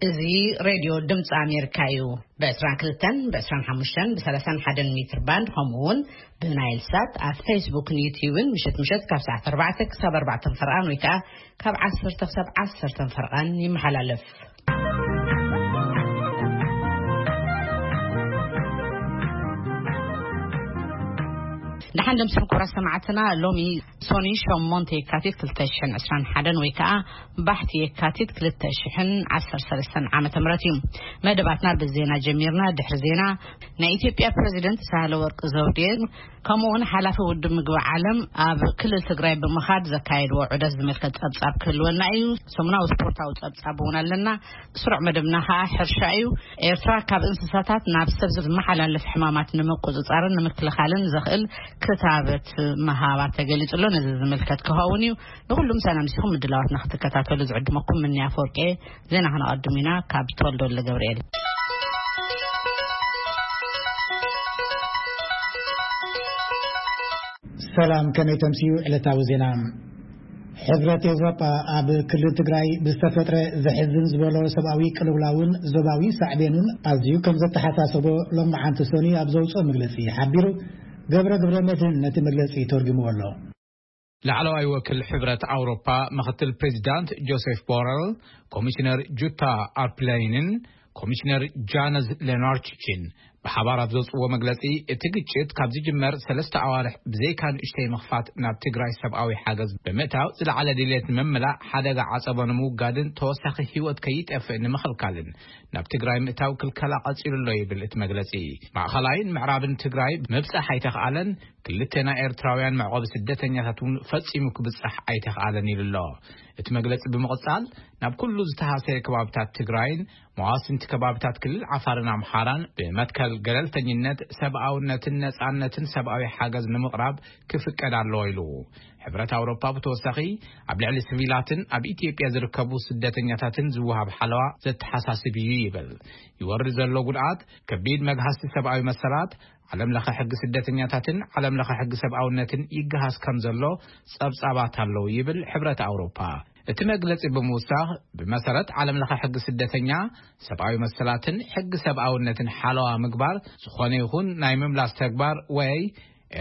እዚ ሬድዮ ድምፂ ኣሜሪካ እዩ። ብ22፣ ብ25፣ ብ31 ሜትር ባንድ፣ ከምኡ እውን ብናይል ሳት ኣብ ፌስቡክን ዩቲዩብን ምሸት ምሸት ካብ ሰዓት ኣርባዕተ ክሳብ ኣርባዕተ ፈርቓን ወይ ከዓ ካብ ዓሰርተ ክሳብ ዓሰርተ ፈርቓን ይመሓላለፍ። ደሓን ደምስም ክቡራት ሰማዕትና፣ ሎሚ ሶኒ ሸሞንተ የካቲት ክልተ ሽሕን ዕስራን ሓደን ወይ ከዓ ባሕቲ የካቲት ክልተ ሽሕን ዓሰርተ ሰለስተን ዓመተ ምህረት እዩ። መደባትና ብዜና ጀሚርና። ድሕሪ ዜና ናይ ኢትዮጵያ ፕሬዚደንት ሳህለ ወርቅ ዘውዴ ከምኡ እውን ሓላፊ ውድብ ምግቢ ዓለም ኣብ ክልል ትግራይ ብምኻድ ዘካየድዎ ዑደት ዝምልከት ጸብጻብ ክህልወና እዩ። ሰሙናዊ ስፖርታዊ ጸብጻብ እውን ኣለና። ስሩዕ መደብና ከዓ ሕርሻ እዩ። ኤርትራ ካብ እንስሳታት ናብ ሰብ ዝመሓላለፍ ሕማማት ንምቁጽጻርን ንምክልኻልን ዘኽእል ክታበት ምሃባ ተገሊጹ ኣሎ። ነዚ ዝምልከት ክኸውን እዩ። ንኹሉም ሰላም ሲኹም ምድላዋትና ክትከታተሉ ዝዕድመኩም ምንያ ፎርቄ። ዜና ከነቐድም ኢና ካብ ተወልደ ወልደ ገብርኤል። ሰላም፣ ከመይ ተምስዩ ዕለታዊ ዜና? ሕብረት ኤውሮጳ ኣብ ክልል ትግራይ ብዝተፈጥረ ዘሕዝን ዝበሎ ሰብኣዊ ቅልውላውን ዞባዊ ሳዕቤኑን ኣዝዩ ከም ዘተሓሳሰቦ ሎማዓንቲ ሰኑይ ኣብ ዘውፅኦ መግለፂ ሓቢሩ። ገብረ ገብረ መድህን ነቲ መግለፂ ተርጉምዎ ኣሎ። ላዕለዋይ ወኪል ሕብረት ኣውሮፓ ምኽትል ፕሬዚዳንት ጆሴፍ ቦረል፣ ኮሚሽነር ጁታ ኣርፕላይንን ኮሚሽነር ጃነዝ ሌናርችችን ብሓባር ኣብ ዘውፅዎ መግለፂ፣ እቲ ግጭት ካብ ዝጅመር ሰለስተ ኣዋርሕ ብዘይካ ንእሽተይ ምኽፋት ናብ ትግራይ ሰብኣዊ ሓገዝ ብምእታው ዝለዓለ ድሌት ንምምላእ ሓደጋ ዓፀቦ ንምውጋድን ተወሳኺ ህይወት ከይጠፍእ ንምኽልካልን ናብ ትግራይ ምእታው ክልከላ ቀፂሉ ኣሎ ይብል እቲ መግለፂ። ማእኸላይን ምዕራብን ትግራይ ምብፃሕ ኣይተኽኣለን፣ ክልተ ናይ ኤርትራውያን መዕቆቢ ስደተኛታት እውን ፈፂሙ ክብፃሕ ኣይተኽኣለን ኢሉ ኣሎ። እቲ መግለፂ ብምቕፃል ናብ ኩሉ ዝተሃሰየ ከባብታት ትግራይን መዋስንቲ ከባብታት ክልል ዓፋርን ኣምሓራን ብመትከል ገለልተኝነት፣ ሰብኣውነትን ነፃነትን ሰብኣዊ ሓገዝ ንምቕራብ ክፍቀድ ኣለዎ ኢሉ። ሕብረት ኣውሮፓ ብተወሳኺ ኣብ ልዕሊ ሲቪላትን ኣብ ኢትዮጵያ ዝርከቡ ስደተኛታትን ዝወሃብ ሓለዋ ዘተሓሳስብ እዩ ይብል። ይወርድ ዘሎ ጉድኣት ከቢድ መግሃስቲ ሰብኣዊ መሰላት፣ ዓለም ለኸ ሕጊ ስደተኛታትን ዓለም ለኸ ሕጊ ሰብኣውነትን ይገሃስ ከም ዘሎ ጸብጻባት ኣለዉ ይብል ሕብረት ኣውሮፓ። እቲ መግለጺ ብምውሳኽ፣ ብመሰረት ዓለም ለኸ ሕጊ ስደተኛ፣ ሰብኣዊ መሰላትን ሕጊ ሰብኣውነትን ሓለዋ ምግባር፣ ዝኾነ ይኹን ናይ ምምላስ ተግባር ወይ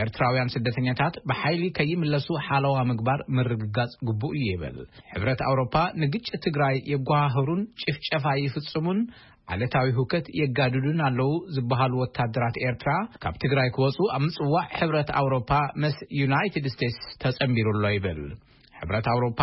ኤርትራውያን ስደተኛታት ብሓይሊ ከይምለሱ ሓለዋ ምግባር ምርግጋጽ ግቡእ እዩ ይብል። ሕብረት ኣውሮፓ ንግጭት ትግራይ የጓሃህሩን ጭፍጨፋ ይፍጽሙን ዓሌታዊ ሁከት የጋድዱን ኣለዉ ዝበሃሉ ወታደራት ኤርትራ ካብ ትግራይ ክወጹ ኣብ ምጽዋዕ ሕብረት ኣውሮፓ ምስ ዩናይትድ ስቴትስ ተጸንቢሩ ኣሎ ይብል። ሕብረት ኣውሮፓ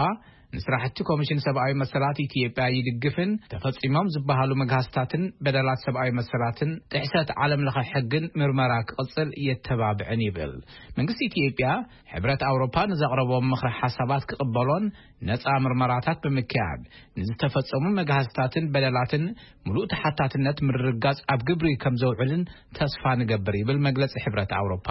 ንስራሕቲ ኮሚሽን ሰብኣዊ መሰላት ኢትዮጵያ ይድግፍን ተፈጺሞም ዝበሃሉ መግሃስታትን በደላት ሰብኣዊ መሰላትን ጥሕሰት ዓለም ለኸ ሕግን ምርመራ ክቕጽል የተባብዕን ይብል። መንግስቲ ኢትዮጵያ ሕብረት ኣውሮፓ ንዘቕረቦም ምኽሪ ሓሳባት ክቕበሎን ነጻ ምርመራታት ብምክያድ ንዝተፈጸሙ መግሃስታትን በደላትን ምሉእ ተሓታትነት ምርግጋጽ ኣብ ግብሪ ከም ዘውዕልን ተስፋ ንገብር ይብል መግለጺ ሕብረት ኣውሮፓ።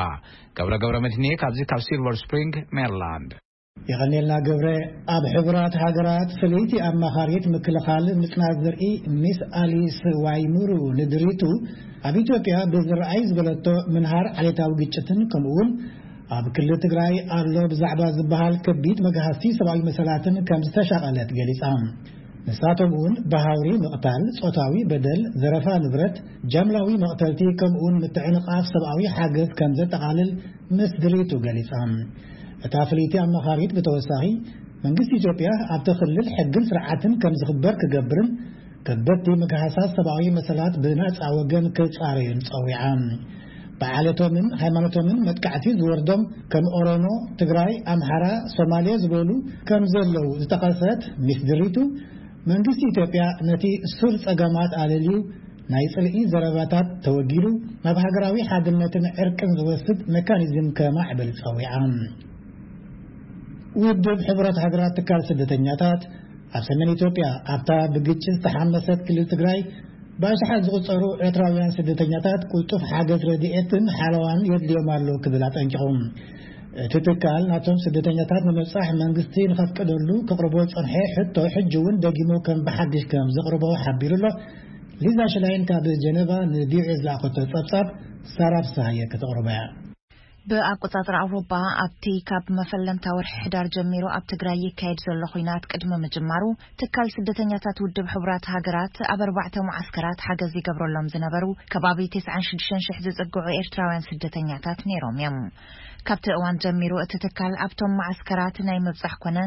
ገብረ ገብረ መድህንየ ካብዚ ካብ ሲልቨር ስፕሪንግ ሜሪላንድ። የቐኔልና ገብረ። ኣብ ሕቡራት ሃገራት ፍልይቲ ኣማኻሪት ምክልኻል ምጽናት ዘርኢ ሚስ ኣሊስ ዋይሙሩ ንድሪቱ ኣብ ኢትዮጵያ ብዝረኣይ ዝበለቶ ምንሃር ዓሌታዊ ግጭትን ከምኡውን ኣብ ክልል ትግራይ ኣሎ ብዛዕባ ዝበሃል ከቢድ መግሃስቲ ሰብኣዊ መሰላትን ከም ዝተሻቐለት ገሊጻ። ንሳቶም እውን ብሃውሪ ምቕታል፣ ጾታዊ በደል፣ ዘረፋ ንብረት፣ ጃምላዊ መቕተልቲ ከምኡውን ምትዕንቓፍ ሰብኣዊ ሓገዝ ከም ዘጠቓልል ምስ ድሪቱ ገሊጻ። እታ ፍልይቲ ኣማኻሪት ብተወሳኺ መንግስቲ ኢትዮጵያ ኣብቲ ክልል ሕግን ስርዓትን ከም ዝኽበር ክገብርን ከበድቲ ምግሃሳት ሰብኣዊ መሰላት ብናጻ ወገን ክጻረዩን ጸዊዓ። ብዓለቶምን ሃይማኖቶምን መጥቃዕቲ ዝወርዶም ከም ኦሮሞ፣ ትግራይ፣ ኣምሓራ፣ ሶማሌ ዝበሉ ከም ዘለዉ ዝጠቐሰት ሚስ ድሪቱ፣ መንግስቲ ኢትዮጵያ ነቲ ሱር ጸገማት ኣለልዩ ናይ ጽልኢ ዘረባታት ተወጊዱ ናብ ሃገራዊ ሓድነትን ዕርቅን ዝወስድ ሜካኒዝም ከማዕብል ጸዊዓ። ውድብ ሕቡራት ሃገራት ትካል ስደተኛታት ኣብ ሰሜን ኢትዮጵያ ኣብታ ብግጭት ዝተሓመሰት ክልል ትግራይ ብኣሽሓት ዝቑጸሩ ኤርትራውያን ስደተኛታት ቅልጡፍ ሓገዝ ረድኤትን ሓለዋን የድልዮም ኣሎ ክብል ኣጠንቂቑ። እቲ ትካል ናብቶም ስደተኛታት ንምብጻሕ መንግስቲ ንኸፍቅደሉ ከቕርቦ ዝጸንሐ ሕቶ ሕጂ እውን ደጊሙ ከም ብሓድሽ ከም ዘቕርቦ ሓቢሩ ኣሎ። ሊዛ ሽላይን ካብ ጀነቫ ንቪኦኤ ዝለኣኸቶ ጸብጻብ ሳራ ፍስሃየ ከተቕርቦ እያ። ብኣቆጻጽራ ኣውሮጳ፣ ኣብቲ ካብ መፈለምታ ወርሒ ሕዳር ጀሚሩ ኣብ ትግራይ ይካየድ ዘሎ ኹናት ቅድሚ ምጅማሩ፣ ትካል ስደተኛታት ውድብ ሕቡራት ሃገራት ኣብ ኣርባዕተ መዓስከራት ሓገዝ ይገብረሎም ዝነበሩ ከባቢ ተስዓን ሽዱሽተን ሽሕ ዝጽግዑ ኤርትራውያን ስደተኛታት ነይሮም እዮም። ካብቲ እዋን ጀሚሩ፣ እቲ ትካል ኣብቶም መዓስከራት ናይ ምብጻሕ ኮነ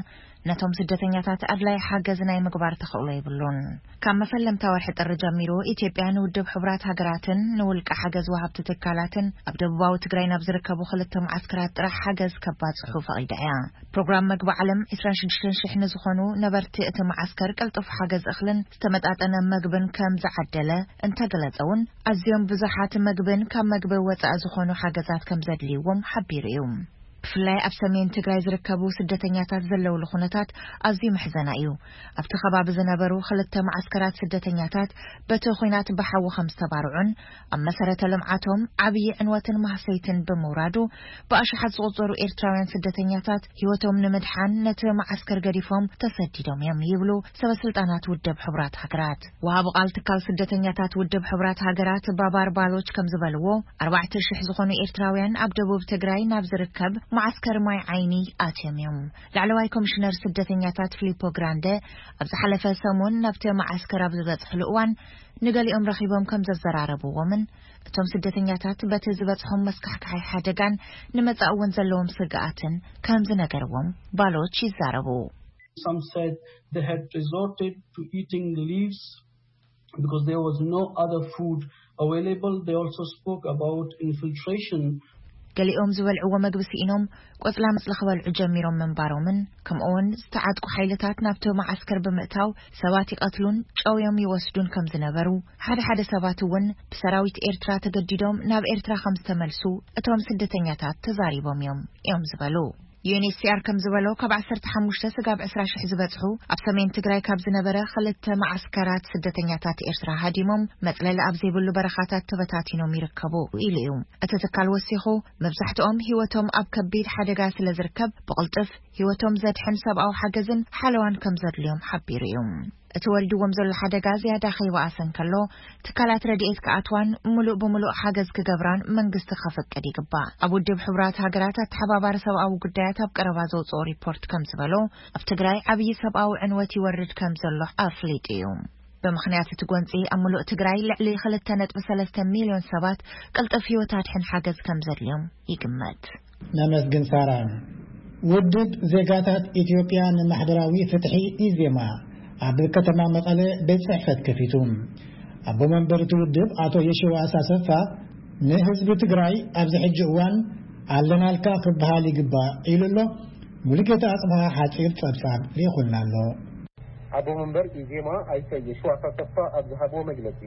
ነቶም ስደተኛታት ኣድላይ ሓገዝ ናይ ምግባር ተኽእሎ የብሉን። ካብ መፈለምታ ወርሒ ጥሪ ጀሚሩ፣ ኢትዮጵያ ንውድብ ሕቡራት ሃገራትን ንውልቀ ሓገዝ ወሃብቲ ትካላትን ኣብ ደቡባዊ ትግራይ ናብ ዝርከቡ ክልተ መዓስከራት ጥራሕ ሓገዝ ከባጽሑ ፈቒዳ እያ። ፕሮግራም መግቢ ዓለም ዕስራን ሽዱሽተን ሽሕ ንዝኾኑ ነበርቲ እቲ መዓስከር ቅልጡፍ ሓገዝ እኽልን ዝተመጣጠነ መግብን ከም ዝዓደለ እንተገለጸ እውን፣ ኣዝዮም ብዙሓት መግብን ካብ መግቢ ወጻኢ ዝኾኑ ሓገዛት ከም ዘድልይዎም ሓቢሩ እዩ። ብፍላይ ኣብ ሰሜን ትግራይ ዝርከቡ ስደተኛታት ዘለውሉ ኩነታት ኣዝዩ መሕዘና እዩ። ኣብቲ ከባቢ ዝነበሩ ክልተ መዓስከራት ስደተኛታት በቲ ኹናት ብሓዊ ከም ዝተባርዑን ኣብ መሰረተ ልምዓቶም ዓብዪ ዕንወትን ማህሰይትን ብምውራዱ፣ ብኣሽሓት ዝቑጸሩ ኤርትራውያን ስደተኛታት ህይወቶም ንምድሓን ነቲ መዓስከር ገዲፎም ተሰዲዶም እዮም ይብሉ ሰበ ስልጣናት ውድብ ሕቡራት ሃገራት። ወሃቢ ቃል ትካል ስደተኛታት ውድብ ሕቡራት ሃገራት ባባር ባሎች ከም ዝበልዎ፣ ኣርባዕተ ሽሕ ዝኾኑ ኤርትራውያን ኣብ ደቡብ ትግራይ ናብ ዝርከብ መዓስከር ማይ ዓይኒ ኣትዮም እዮም። ላዕለዋይ ኮሚሽነር ስደተኛታት ፊሊፖ ግራንደ ኣብ ዝሓለፈ ሰሙን ናብቲ መዓስከር ኣብ ዝበጽሕሉ እዋን፣ ንገሊኦም ረኺቦም ከም ዘዘራረብዎምን እቶም ስደተኛታት በቲ ዝበጽሖም መስካሕካሒ ሓደጋን ንመጻኢ እውን ዘለዎም ስግኣትን ከም ዝነገርዎም ባሎች ይዛረቡ። Some said they had resorted to eating leaves because there was no other food available. They also spoke about infiltration. ገሊኦም ዝበልዕዎ መግቢ ስኢኖም ቆጽላ መጽሊ ክበልዑ ጀሚሮም ምንባሮምን፣ ከምኡውን ዝተዓጥቁ ሓይልታት ናብቲ መዓስከር ብምእታው ሰባት ይቐትሉን ጨውዮም ይወስዱን ከም ዝነበሩ፣ ሓደ ሓደ ሰባት እውን ብሰራዊት ኤርትራ ተገዲዶም ናብ ኤርትራ ከም ዝተመልሱ እቶም ስደተኛታት ተዛሪቦም እዮም እዮም ዝበሉ። ዩ ኤን ኤች ሲ ኣር ከም ዝበሎ፣ ካብ ዓሰርተ ሓሙሽተ ስጋብ ዕስራ ሽሕ ዝበጽሑ ኣብ ሰሜን ትግራይ ካብ ዝነበረ ክልተ መዓስከራት ስደተኛታት ኤርትራ ሃዲሞም መጽለሊ ኣብ ዘይብሉ በረኻታት ተበታቲኖም ይርከቡ ኢሉ እዩ። እቲ ትካል ወሲኹ፣ መብዛሕትኦም ህይወቶም ኣብ ከቢድ ሓደጋ ስለ ዝርከብ፣ ብቕልጥፍ ህይወቶም ዘድሕን ሰብኣዊ ሓገዝን ሓለዋን ከም ዘድልዮም ሓቢሩ እዩ። እቲ ወሪድዎም ዘሎ ሓደጋ ዝያዳ ከይበኣሰ እንከሎ፣ ትካላት ረድኤት ክኣትዋን ምሉእ ብምሉእ ሓገዝ ክገብራን መንግስቲ ከፈቅድ ይግባእ። ኣብ ውድብ ሕቡራት ሃገራት ኣተሓባባሪ ሰብኣዊ ጉዳያት ኣብ ቀረባ ዘውፅኦ ሪፖርት ከም ዝበሎ፣ ኣብ ትግራይ ዓብዪ ሰብኣዊ ዕንወት ይወርድ ከም ዘሎ ኣፍሊጡ እዩ። ብምኽንያት እቲ ጎንፂ፣ ኣብ ምሉእ ትግራይ ልዕሊ ክልተ ነጥቢ ሰለስተ ሚልዮን ሰባት ቅልጡፍ ህይወት ኣድሕን ሓገዝ ከም ዘድልዮም ይግመት። ነመስግን ሳራ። ውድብ ዜጋታት ኢትዮጵያ ንማሕበራዊ ፍትሒ፣ ኢዜማ፣ ኣብ ከተማ መቐለ ቤት ጽሕፈት ከፊቱ። ኣቦ መንበር እቲ ውድብ ኣቶ የሺዋስ ኣሰፋ፣ ንህዝቢ ትግራይ ኣብዚ ሕጂ እዋን ኣለናልካ ክበሃል ይግባእ ኢሉ ኣሎ። ሙሉጌታ ኣጽብሃ ሓጺር ጸብጻብ ልኢኹልና ኣሎ። ኣቦ መንበር ኢዜማ ኣይተ የሺዋስ ኣሰፋ ኣብ ዝሃብዎ መግለጺ፣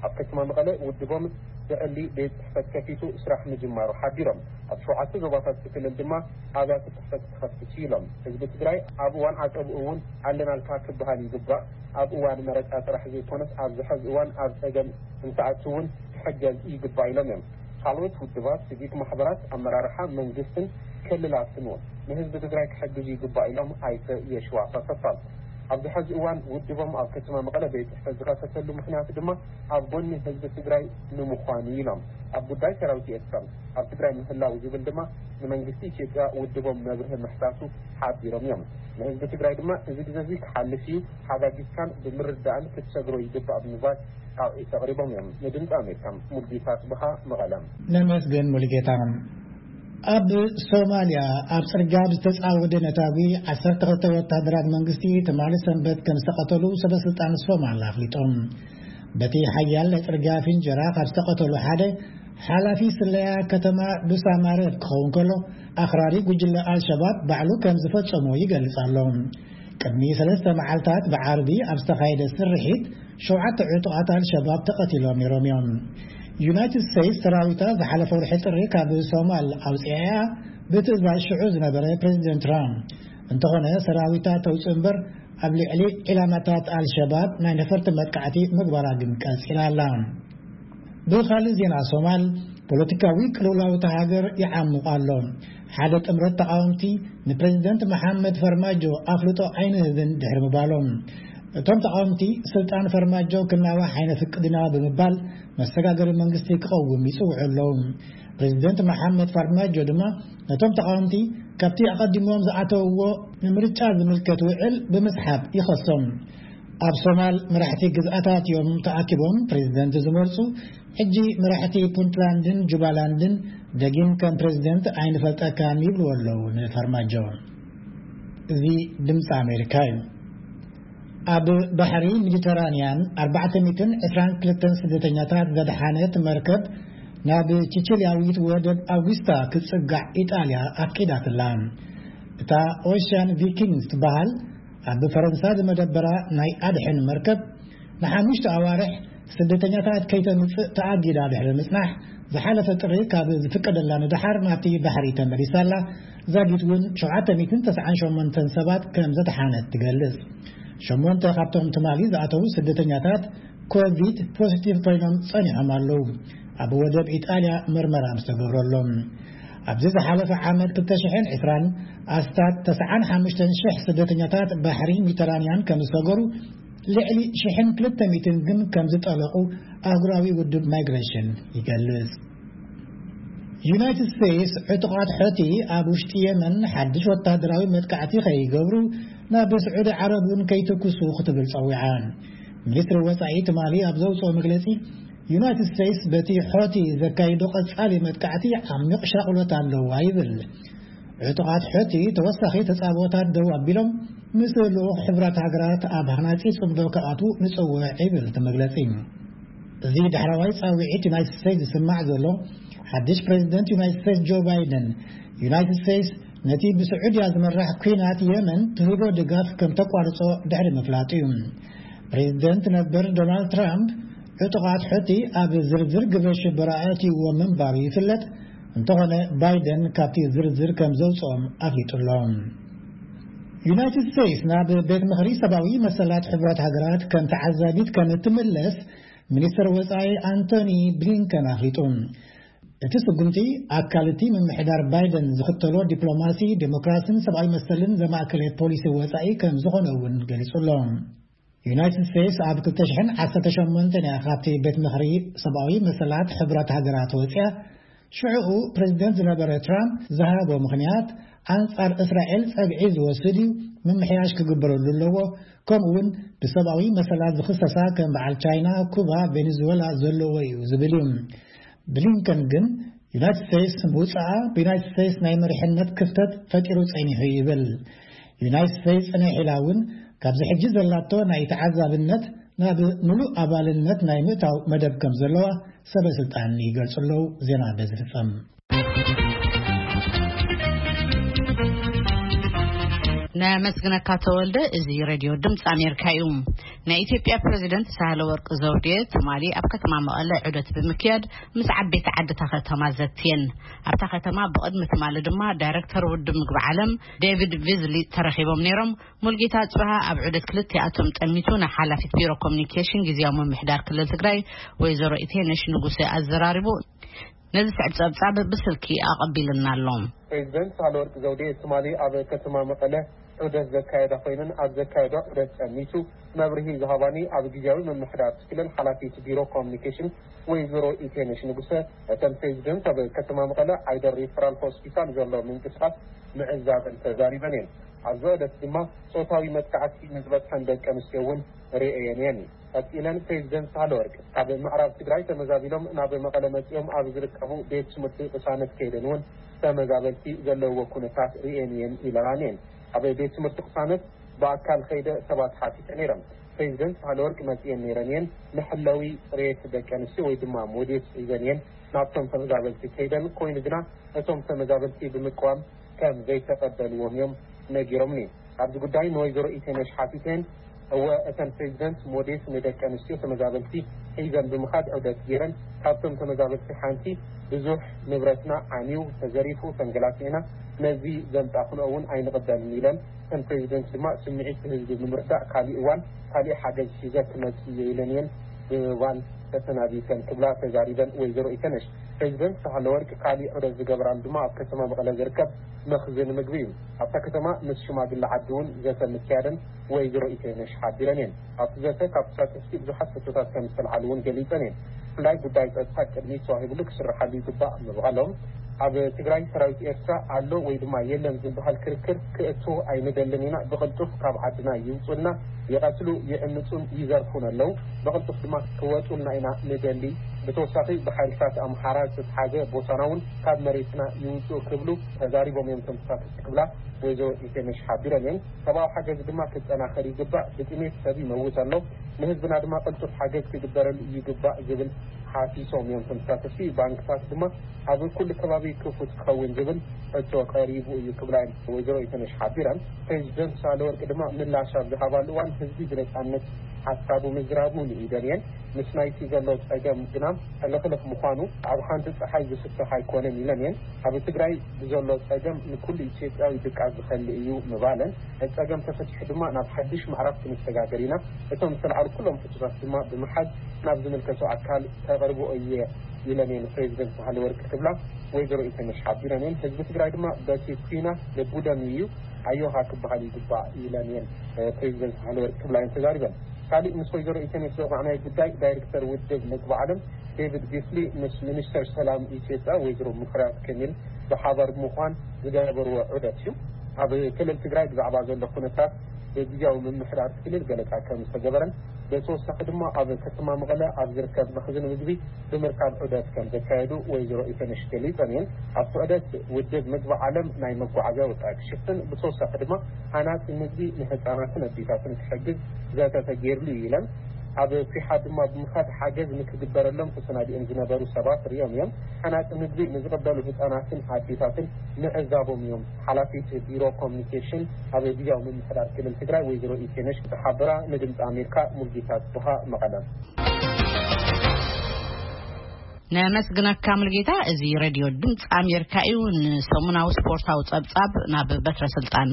ኣብ ከተማ መቐለ ውድቦም ዘዕሊ ቤት ጽሕፈት ከፊቱ ስራሕ ምጅማሩ ሓቢሮም። ኣብ ሸውዓተ ዞባታት እቲ ክልል ድማ ኣብያተ ጽሕፈት ክኸፍት ኢሎም። ህዝቢ ትግራይ ኣብ እዋን ዓጸብኡ እውን ኣለናልካ ክበሃል ይግባእ። ኣብ እዋን መረጻ ጥራሕ ዘይኮነስ ኣብዚ ሕዚ እዋን ኣብ ጸገም እንትኣቱ እውን ክሕገዝ ይግባእ ኢሎም እዮም። ካልኦት ውድባት፣ ሲቪክ ማሕበራት፣ ኣመራርሓ መንግስትን ክልላትን እውን ንህዝቢ ትግራይ ክሕግዙ ይግባእ ኢሎም ኣይተ የሺዋስ ኣሰፋ። ኣብዚ ሕዚ እዋን ውድቦም ኣብ ከተማ መቐለ ቤት ጽሕፈት ዝኸፈተሉ ምኽንያት ድማ ኣብ ጎኒ ህዝቢ ትግራይ ንምዃን እዩ ኢሎም። ኣብ ጉዳይ ሰራዊት ኤርትራ ኣብ ትግራይ ምህላው ዝብል ድማ ንመንግስቲ ኢትዮጵያ ውድቦም መብርሂ ምሕታቱ ሓቢሮም እዮም። ንህዝቢ ትግራይ ድማ እዚ ግዜ እዚ ክሓልፍ እዩ፣ ሓጋጊዝካን ብምርዳእን ክትሰግሮ ይግባእ ብምባል ጻውዒት ኣቕሪቦም እዮም። ንድምፂ ኣሜሪካ ሙልጌታ ጽብሃ መቐለ። ነመስግን ሙልጌታ። ኣብ ሶማልያ ኣብ ጽርግያ ብዝተጻወደ ነታጒ ዓሰርተ ክልተ ወታደራት መንግስቲ ትማሊ ሰንበት ከም ዝተቐተሉ ሰበ ስልጣን ሶማል ኣፍሊጦም። በቲ ሓያል ናይ ጽርግያ ፍንጀራ ካብ ዝተቐተሉ ሓደ ሓላፊ ስለያ ከተማ ዱሳማሬብ ክኸውን ከሎ፣ ኣኽራሪ ጉጅለ ኣልሸባብ ባዕሉ ከም ዝፈጸሞ ይገልጽ ኣሎ። ቅድሚ ሰለስተ መዓልታት ብዓርቢ ኣብ ዝተኻየደ ስርሒት ሸውዓተ ዕጡቓት ኣልሸባብ ተቐቲሎም ነይሮም እዮም። ዩናይትድ ስቴትስ ሰራዊታ ዝሓለፈ ወርሒ ጥሪ ካብ ሶማል ኣውፅኣያ ብትእዛዝ ሽዑ ዝነበረ ፕሬዚደንት ትራምፕ። እንተኾነ ሰራዊታ ተውፅእ እምበር ኣብ ልዕሊ ዒላማታት ኣልሸባብ ናይ ነፈርቲ መጥቃዕቲ ምግባራ ግን ቀፂላ ኣላ። ብኻልእ ዜና ሶማል ፖለቲካዊ ቅልውላው እታ ሃገር ይዓሙቕ ኣሎ። ሓደ ጥምረት ተቓወምቲ ንፕሬዚደንት መሓመድ ፈርማጆ ኣፍልጦ ኣይንህብን ድሕሪ ምባሎም፣ እቶም ተቓወምቲ ስልጣን ፈርማጆ ክናዋሕ ኣይነፍቅድና ብምባል መሰጋገሪ መንግስቲ ክቐውም ይጽውዑ ኣለዉ። ፕሬዚደንት መሓመድ ፋርማጆ ድማ ነቶም ተቓወምቲ ካብቲ ኣቐዲሞም ዝኣተውዎ ንምርጫ ዝምልከት ውዕል ብምስሓብ ይኸሶም። ኣብ ሶማል መራሕቲ ግዝኣታት እዮም ተኣኪቦም ፕሬዚደንት ዝመርጹ። ሕጂ መራሕቲ ፑንትላንድን ጁባላንድን ደጊም ከም ፕሬዚደንት ኣይንፈልጠካን ይብልዎ ኣለዉ ንፋርማጆ። እዚ ድምፂ ኣሜሪካ እዩ። ኣብ ባሕሪ ሜዲተራንያን ኣርባዕተ ሚእትን ዕስራን ክልተን ስደተኛታት ዘድሓነት መርከብ ናብ ቺቺልያዊት ወደብ ኣውጉስታ ክትጽጋዕ ኢጣልያ ኣፍቂዳትላ። እታ ኦሽያን ቪኪንግስ ትበሃል ኣብ ፈረንሳ ዝመደበራ ናይ ኣድሕን መርከብ ንሓሙሽተ ኣዋርሕ ስደተኛታት ከይተምጽእ ተኣጊዳ ድሕሪ ምጽናሕ፣ ዝሓለፈ ጥሪ ካብ ዝፍቀደላ ንደሓር ናብቲ ባሕሪ ተመሊሳ ኣላ። ዛጊት እውን ሸውዓተ ሚእትን ተስዓን ሸሞንተን ሰባት ከም ዘድሓነት ትገልጽ። ሸሞንተ ካብቶም ትማሊ ዝኣተዉ ስደተኛታት ኮቪድ ፖዚቲቭ ኮይኖም ጸኒሖም ኣለዉ። ኣብ ወደብ ኢጣልያ መርመራ ምስ ተገብረሎም፣ ኣብዚ ዝሓለፈ ዓመት ክልተ ሽሕን ዕስራን ኣስታት ተስዓን ሓሙሽተን ሽሕ ስደተኛታት ባሕሪ ሜዲተራንያን ከም ዝሰገሩ፣ ልዕሊ ሽሕን ክልተ ሚእትን ግን ከም ዝጠለቑ ኣህጉራዊ ውድብ ማይግሬሽን ይገልጽ። ዩናይትድ ስቴትስ ዕጡቓት ሖቲ ኣብ ውሽጢ የመን ሓድሽ ወታደራዊ መጥቃዕቲ ከይገብሩ፣ ናብ ስዑዲ ዓረብ እውን ከይትኩሱ ክትብል ጸዊዓ። ሚኒስትሪ ወጻኢ ትማሊ ኣብ ዘውጽኦ መግለጺ፣ ዩናይትድ ስቴትስ በቲ ሖቲ ዘካይዶ ቀጻሊ መጥቃዕቲ ዓሚቕ ሻቕሎት ኣለዋ ይብል። ዕጡቓት ሑቲ ተወሳኺ ተጻብኦታት ደው ኣቢሎም፣ ምስ ልኡኽ ሕቡራት ሃገራት ኣብ ሃናጺ ጽምዶ ክኣትዉ ንጽውዕ ይብል እቲ መግለጺ። እዚ ዳሕረዋይ ጻውዒት ዩናይትድ ስቴትስ ዝስማዕ ዘሎ፣ ሓድሽ ፕሬዚደንት ዩናይትድ ስቴትስ ጆ ባይደን፣ ዩናይትድ ስቴትስ ነቲ ብስዑድያ ዝመራሕ ኲናት የመን ትህቦ ድጋፍ ከም ተቋርጾ ድሕሪ ምፍላጡ እዩ። ፕሬዚደንት ነበር ዶናልድ ትራምፕ፣ ዕጡቓት ሑቲ ኣብ ዝርዝር ግብረ ሽበራ ኣእትይዎ ምንባሩ ይፍለጥ። እንተኾነ፣ ባይደን ካብቲ ዝርዝር ከም ዘውጽኦም ኣፍሊጡ ኣሎ። ዩናይትድ ስቴትስ ናብ ቤት ምኽሪ ሰብኣዊ መሰላት ሕቡራት ሃገራት ከም ተዓዛቢት ከም እትምለስ ሚኒስትር ወጻኢ ኣንቶኒ ብሊንከን ኣፍሊጡ። እቲ ስጉምቲ ኣካል እቲ ምምሕዳር ባይደን ዝኽተሎ ዲፕሎማሲ፣ ዴሞክራሲን ሰብኣዊ መሰልን ዘማእከለ ፖሊሲ ወጻኢ ከም ዝኾነ እውን ገሊጹ ኣሎ። ዩናይትድ ስቴትስ ኣብ ክልተ ሽሕን ዓሰርተ ሸሞንተን እያ ካብቲ ቤት ምኽሪ ሰብኣዊ መሰላት ሕቡራት ሃገራት ወፂኣ። ሽዑኡ ፕሬዚደንት ዝነበረ ትራምፕ ዝሃቦ ምኽንያት፣ ኣንጻር እስራኤል ጸግዒ ዝወስድ እዩ፣ ምምሕያሽ ክግበረሉ ኣለዎ፣ ከምኡ እውን ብሰብኣዊ መሰላት ዝኽሰሳ ከም በዓል ቻይና፣ ኩባ፣ ቬኔዙዌላ ዘለዎ እዩ ዝብል እዩ። ብሊንከን ግን፣ ዩናይትድ ስቴትስ ምውጻኣ ብዩናይትድ ስቴትስ ናይ መሪሕነት ክፍተት ፈጢሩ ጸኒሑ ይብል። ዩናይትድ ስቴትስ ጽንሕ ኢላ እውን ካብዚ ሕጂ ዘላቶ ናይ ተዓዛብነት ናብ ምሉእ ኣባልነት ናይ ምእታው መደብ ከም ዘለዋ ሰበ ስልጣን ይገልጹ ኣለዉ። ዜና በዚ ፍጸም። ነመስግነካ ተወልደ። እዚ ሬድዮ ድምፂ ኣሜሪካ እዩ። ናይ ኢትዮጵያ ፕሬዚደንት ሳህለ ወርቅ ዘውዴ ትማሊ ኣብ ከተማ መቐለ ዑደት ብምክያድ ምስ ዓበይቲ ዓድታ ከተማ ዘትየን። ኣብታ ከተማ ብቕድሚ ትማሊ ድማ ዳይሬክተር ውድብ ምግቢ ዓለም ዴቪድ ቪዝሊ ተረኺቦም ነይሮም። ሙልጌታ ጽብሃ ኣብ ዑደት ክልቲኣቶም ጠሚቱ ንሓላፊት ቢሮ ኮሚኒኬሽን ግዜያዊ ምምሕዳር ክልል ትግራይ ወይዘሮ ኢቴነሽ ንጉሴ ኣዘራሪቡ። ነዚ ስዕብ ጸብጻብ ብስልኪ ኣቐቢልና ኣሎ። ፕሬዚደንት ሳህለወርቅ ዘውዴ ትማሊ ኣብ ከተማ መቐለ ዑደት ዘካየዳ ኮይነን፣ ኣብ ዘካየዳ ዑደት ጠሚቱ መብርሂ ዝሃባኒ ኣብ ግዜያዊ ምምሕዳር ክልል ሓላፊት ቢሮ ኮሚኒኬሽን ወይዘሮ ኢቴነሽ ንጉሰ፣ እተን ፕሬዚደንት ኣብ ከተማ መቐለ ዓይደር ሪፈራል ሆስፒታል ዘሎ ምንቅስቃስ ምዕዛበን ተዛሪበን እየን። ኣብዚ ዑደት ድማ ጾታዊ መጥቃዕቲ ንዝበጽሐን ደቂ ኣንስትዮ እውን ርእየን እየን። ቀጺለን ፕሬዚደንት ሳህለወርቅ ካብ ምዕራብ ትግራይ ተመዛቢሎም ናብ መቐለ መጺኦም ኣብ ዝርከቡ ቤት ትምህርቲ ቅሳነት ከይደን እውን ተመዛበልቲ ዘለውዎ ኩነታት ርእየን እየን ኢለናን እየን። ኣብ ቤት ትምህርቲ ቅሳነት ብኣካል ከይደ ሰባት ሓቲተ ነይረን። ፕሬዚደንት ሳህለወርቅ መጺኤን ነይረን እየን። መሐለዊ ጽሬት ደቂ ኣንስትዮ ወይ ድማ ሞዴስ ሒዘን እየን ናብቶም ተመዛበልቲ ከይደን። ኮይኑ ግና እቶም ተመዛበልቲ ብምቅዋም ከም ዘይተቐበልዎም እዮም ነጊሮምኒ። ኣብዚ ጉዳይ ንወይዘሮ ኢቴነሽ ሓቲተን፣ እወ፣ እተን ፕሬዚደንት ሞዴስ ንደቂ ኣንስትዮ ተመዛበልቲ ሒዘን ብምኻድ ዑደት ገይረን። ካብቶም ተመዛበልቲ ሓንቲ ብዙሕ ንብረትና ዓንዩ፣ ተዘሪፉ፣ ተንገላቲዕና፣ ነዚ ዘምጻእክንኦ እውን ኣይንቕበልን ኢለን። እተን ፕሬዚደንት ድማ ስምዒት ህዝቢ ብምርዳእ ካሊእ እዋን ካሊእ ሓገዝ ሒዘ ክመጽእ እየ ኢለን እየን ብምባል ተሰናቢተን ክብላ ተዛሪበን ወይዘሮ ኢተነሽ። ፕሬዚደንት ሳህለወርቅ ካሊእ ዑደት ዝገበራሉ ድማ ኣብ ከተማ መቐለ ዝርከብ መኽዝን ምግቢ እዩ። ኣብታ ከተማ ምስ ሽማግለ ዓዲ እውን ዘተ ምክያደን ወይዘሮ ኢተነሽ ሓቢረን እየን። ኣብቲ ዘተ ካብ ተሳተፍቲ ብዙሓት ሕቶታት ከም ዝተልዓሉ እውን ገሊፀን እየን። ብፍላይ ጉዳይ ጸጥታ ቅድሚት ተዋሂብሉ ክስርሓሉ ይግባእ ምባሎም፣ ኣብ ትግራይ ሰራዊት ኤርትራ ኣሎ ወይ ድማ የለን ዝበሃል ክርክር ክእቱ ኣይንደልን ኢና፣ ብቕልጡፍ ካብ ዓድና ይውጹልና፣ ይቐትሉ፣ ይዕምጹን ይዘርፉን ኣለዉ፣ ብቕልጡፍ ድማ ክወጹልና ኢና ንደሊ። ብተወሳኺ ብሓይልታት ኣምሓራ ዝተትሓዘ ቦታና እውን ካብ መሬትና ይውጹ ክብሉ ተዛሪቦም እዮም ተንቀሳቀስቲ ክብላ ወይዘሮ ኢቴነሽ ሓቢረን እየን። ሰብኣዊ ሓገዝ ድማ ክጠናኸር ይግባእ፣ ብጥሜት ሰብ ይመውት ኣሎ፣ ንህዝብና ድማ ቅልጡፍ ሓገዝ ክግበረሉ ይግባእ ዝብል ሓሲሶም እዮም ተንቀሳቀስቲ። ባንክታት ድማ ኣብ ኩሉ ከባቢ ክፉት ክኸውን ዝብል ሕቶ ቀሪቡ እዩ ክብላ እየን ወይዘሮ ኢቴነሽ ሓቢረን። ፕሬዚደንት ሳህለወርቅ ድማ ምላሽ ኣብ ዝሃባሉ እዋን ህዝቢ ብነጻነት ሓሳቡ ምዝራቡ ንኢደን እየን። ምስ ናይቲ ዘሎ ጸገም ግና ሕልኽልኽ ምዃኑ ኣብ ሓንቲ ጸሓይ ዝፍታሕ ኣይኮነን ኢለን እየን። ኣብ ትግራይ ብዘሎ ጸገም ንኩሉ ኢትዮጵያዊ ድቃስ ዝኸልእ እዩ ምባለን፣ እቲ ጸገም ተፈቲሑ ድማ ናብ ሓድሽ ምዕራፍ ክንሰጋገር ኢና፣ እቶም ዝተልዓሉ ኩሎም ሕቶታት ድማ ብምሓዝ ናብ ዝምልከቶ ኣካል ከቕርቦ እየ ኢለን እየን ፕሬዚደንት ሳህለወርቅ ክብላ ወይዘሮ ኢቴነሽ ሓቢረን እየን። ህዝቢ ትግራይ ድማ በቲ ኲናት ልቡ ደምዩ እዩ፣ ኣዮሃ ክበሃል ይግባእ ኢለን እየን ፕሬዚደንት ሳህለወርቅ ክብላ እየን ተዛሪበን። ካሊእ ምስ ወይዘሮ ኢቴነሽ ዘውዓዕናዮ ጉዳይ ዳይሬክተር ውድብ ምግቢ ዓለም ዴቪድ ጊፍሊ ምስ ሚኒስተር ሰላም ኢትዮጵያ ወይዘሮ ሙፈሪያት ከሚል ብሓባር ብምዃን ዝገበርዎ ዑደት እዩ። ኣብ ክልል ትግራይ ብዛዕባ ዘሎ ኩነታት ብግዝያዊ ምምሕዳር ክልል ገለጻ ከም ዝተገበረን፣ ብተወሳኺ ድማ ኣብ ከተማ መቐለ ኣብ ዝርከብ መኽዝን ምግቢ ብምርካብ ዑደት ከም ዘካየዱ ወይዘሮ ኢቴነሽ ገሊጸን እየን። ኣብቲ ዑደት ውድብ ምግቢ ዓለም ናይ መጓዓዝያ ወጻኢ ክሽፍን፣ ብተወሳኺ ድማ ሃናጺ ምግቢ ንህጻናትን ኣዴታትን ክሕግዝ ዘተ ተገይርሉ እዩ ኢለን። ኣብ ኲሓ ድማ ብምኻድ ሓገዝ ንክግበረሎም ተሰናዲኦም ዝነበሩ ሰባት ሪኦም እዮም። ሃናጺ ምግቢ ንዝቕበሉ ህጻናትን ኣዴታትን ምዕዛቦም እዮም። ሓላፊት ቢሮ ኮሚኒኬሽን ኣብ ግዝያዊ ምምሕዳር ክልል ትግራይ ወይዘሮ ኢቴነሽ ዝሓበራ ንድምፂ ኣሜሪካ ሙልጌታ ጽቡሃ መቐለ። ነመስግነካ ሙልጌታ። እዚ ሬድዮ ድምፂ ኣሜሪካ እዩ። ንሰሙናዊ ስፖርታዊ ጸብጻብ ናብ በትረ ስልጣን።